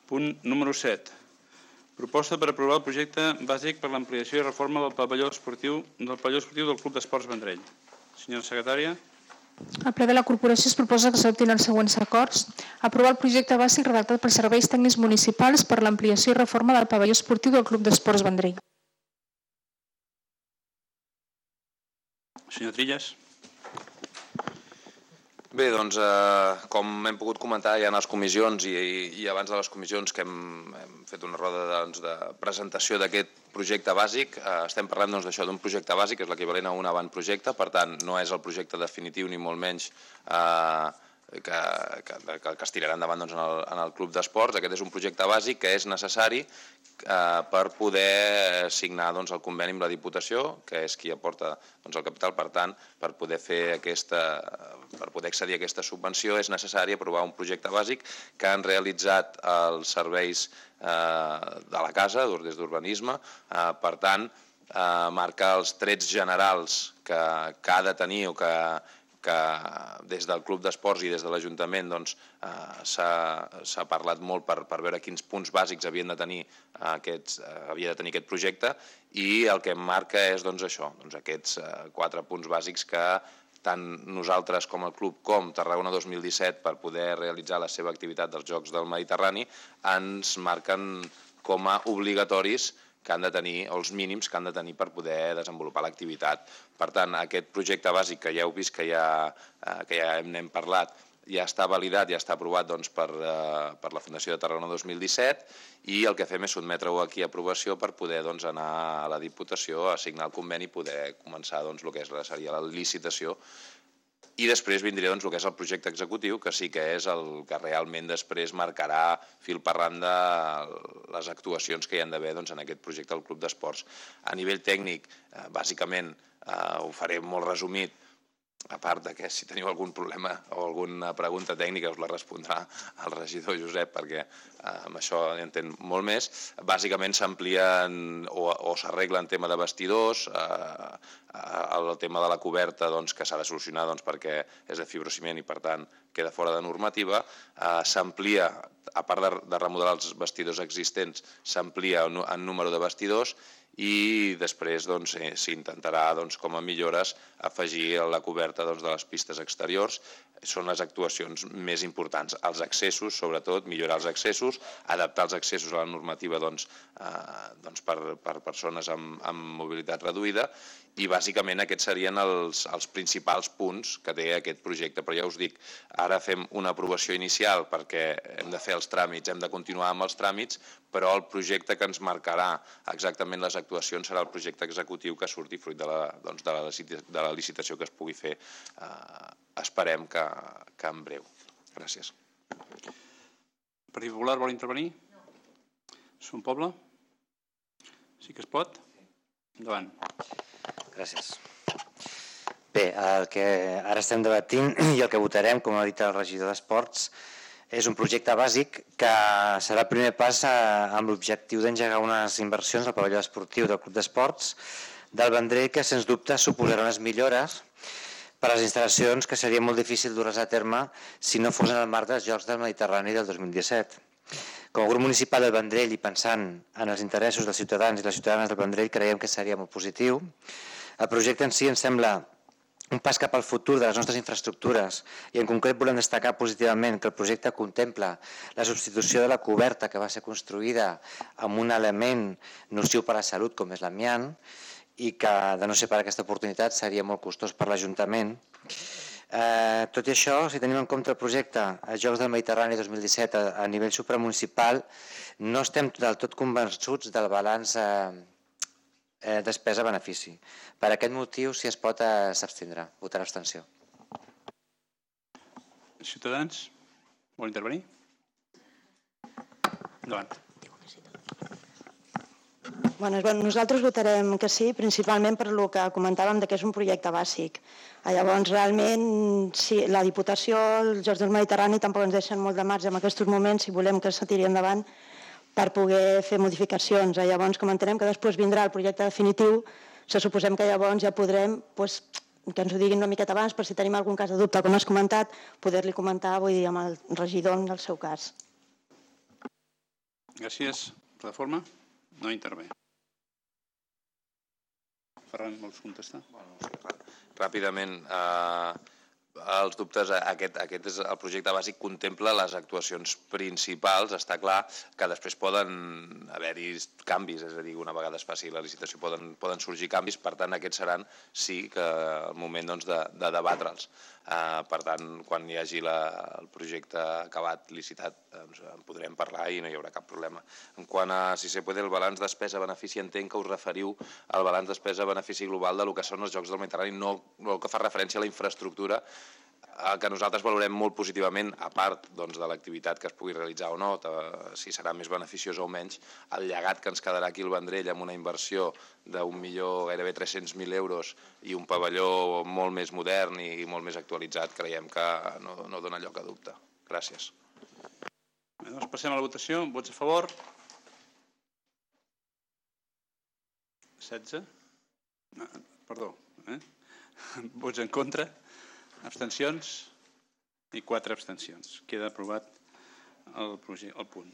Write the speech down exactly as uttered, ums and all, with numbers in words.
Punt número set. Proposta per aprovar el projecte bàsic per l'ampliació i reforma del pavelló esportiu del pavelló esportiu del Club d'Esports Vendrell. Senyora secretària. Al ple de la corporació es proposa que s'adoptin els següents acords. Aprovar el projecte bàsic redactat per serveis tècnics municipals per l'ampliació i reforma del pavelló esportiu del Club d'Esports Vendrell. Senyor Trillas. Bé, doncs, eh, com hem pogut comentar ja en les comissions i, i abans de les comissions que hem, hem fet una roda doncs, de presentació d'aquest projecte bàsic, eh, estem parlant doncs, d'això d'un projecte bàsic, que és l'equivalent a un avantprojecte, per tant, no és el projecte definitiu ni molt menys eh, que, que, que, que es tirarà endavant doncs, en, el, en el Club d'Esports. Aquest és un projecte bàsic que és necessari eh, per poder signar doncs, el conveni amb la Diputació, que és qui aporta doncs, el capital. Per tant, per poder fer aquesta, per poder accedir a aquesta subvenció és necessari aprovar un projecte bàsic que han realitzat els serveis eh, de la casa, des d'urbanisme. Eh, per tant, eh, marca els trets generals que, que ha de tenir o que que des del Club d'Esports i des de l'Ajuntament doncs, eh, s'ha parlat molt per, per veure quins punts bàsics havien de tenir aquests, eh, havia de tenir aquest projecte, i el que em marca és doncs, això, doncs, aquests eh, quatre punts bàsics que tant nosaltres com el club com Tarragona dos mil disset, per poder realitzar la seva activitat dels Jocs del Mediterrani, ens marquen com a obligatoris que han de tenir, o els mínims que han de tenir per poder desenvolupar l'activitat. Per tant, aquest projecte bàsic que ja heu vist, que ja, que ja n'hem parlat, ja està validat, ja està aprovat doncs, per, per la Fundació de Tarragona dos mil disset, i el que fem és sotmetre-ho aquí a aprovació per poder doncs, anar a la Diputació a signar el conveni i poder començar doncs, el que és, seria la licitació. I després vindria doncs, el que és el projecte executiu, que sí que és el que realment després marcarà fil per randa les actuacions que hi han d'haver doncs, en aquest projecte del Club d'Esports. A nivell tècnic, eh, bàsicament, eh, ho faré molt resumit, a part de que si teniu algun problema o alguna pregunta tècnica us la respondrà el regidor Josep, perquè eh, amb això hi entén molt més. Bàsicament s'amplien o, o s'arreglen tema de vestidors, eh, el tema de la coberta doncs, que s'ha de solucionar doncs, perquè és de fibrociment i per tant queda fora de normativa. Eh, s'amplia, a part de, de remodelar els vestidors existents, s'amplia en número de vestidors, i després doncs, eh, s'intentarà doncs, com a millores afegir la coberta doncs, de les pistes exteriors. Són les actuacions més importants. Els accessos, sobretot, millorar els accessos, adaptar els accessos a la normativa doncs, eh, doncs per, per persones amb, amb mobilitat reduïda, i bàsicament aquests serien els, els principals punts que té aquest projecte. Però ja us dic, ara fem una aprovació inicial perquè hem de fer els tràmits, hem de continuar amb els tràmits, però el projecte que ens marcarà exactament les actuacions serà el projecte executiu que surti fruit de la, doncs, de la, de la licitació que es pugui fer. Eh, esperem que, que en breu. Gràcies. El Partit Popular vol intervenir? No. Som Poble? Sí que es pot? Endavant. Gràcies. Bé, el que ara estem debatint i el que votarem, com ha dit el regidor d'Esports, és un projecte bàsic que serà el primer pas amb l'objectiu d'engegar unes inversions al pavelló esportiu del Club d'Esports del Vendrell, que sens dubte suposarà unes millores per a les instal·lacions que seria molt difícil dur-les a terme si no fos en el marc dels Jocs del Mediterrani del dos mil disset. Com a grup municipal del Vendrell i pensant en els interessos dels ciutadans i les ciutadanes del Vendrell, creiem que seria molt positiu. El projecte en si ens sembla un pas cap al futur de les nostres infraestructures i en concret volem destacar positivament que el projecte contempla la substitució de la coberta que va ser construïda amb un element nociu per a la salut com és l'amiant i que, de no ser per aquesta oportunitat, seria molt costós per l'Ajuntament. Eh, tot i això, si tenim en compte el projecte a Jocs del Mediterrani dos mil disset a, a nivell supramunicipal, no estem del tot convençuts del balanç eh, eh, despesa-benefici. Per aquest motiu, si es pot, eh, s'abstindrà. Votarà abstenció. Ciutadans, vol intervenir? Endavant. Bueno, nosaltres votarem que sí, principalment per el que comentàvem que és un projecte bàsic. Llavors, realment, si la Diputació, els Jocs del Mediterrani tampoc ens deixen molt de marge en aquests moments si volem que se tiri endavant per poder fer modificacions. Llavors, com entenem que després vindrà el projecte definitiu, se suposem que llavors ja podrem, doncs, que ens ho diguin una miqueta abans, per si tenim algun cas de dubte, com has comentat, poder-li comentar, vull dir, amb el regidor en el seu cas. Gràcies. Plataforma? No intervé. Ferran, vols contestar? Ràpidament, els dubtes, aquest és el projecte bàsic, contempla les actuacions principals. Està clar que després poden haver-hi canvis, és a dir, una vegada es faci la licitació poden sorgir canvis, per tant aquests seran sí que el moment de debatre'ls. Per tant, quan hi hagi el projecte acabat, licitat, en podrem parlar i no hi haurà cap problema. En quant a, si se puede, el balanç despesa-benefici, entenc que us referiu al balanç despesa-benefici global del que són els Jocs del Mediterrani, no el que fa referència a la infraestructura, que nosaltres valorem molt positivament, a part de l'activitat que es pugui realitzar o no, si serà més beneficiós o menys, el llegat que ens quedarà aquí al Vendrell amb una inversió d'un milió, gairebé tres-cents mil euros i un pavelló molt més modern i molt més actualitzat, creiem que no dona lloc a dubte. Gràcies. Doncs passem a la votació. Vots a favor? setze? Perdó. Vots en contra? Abstencions? I quatre abstencions. Queda aprovat el punt.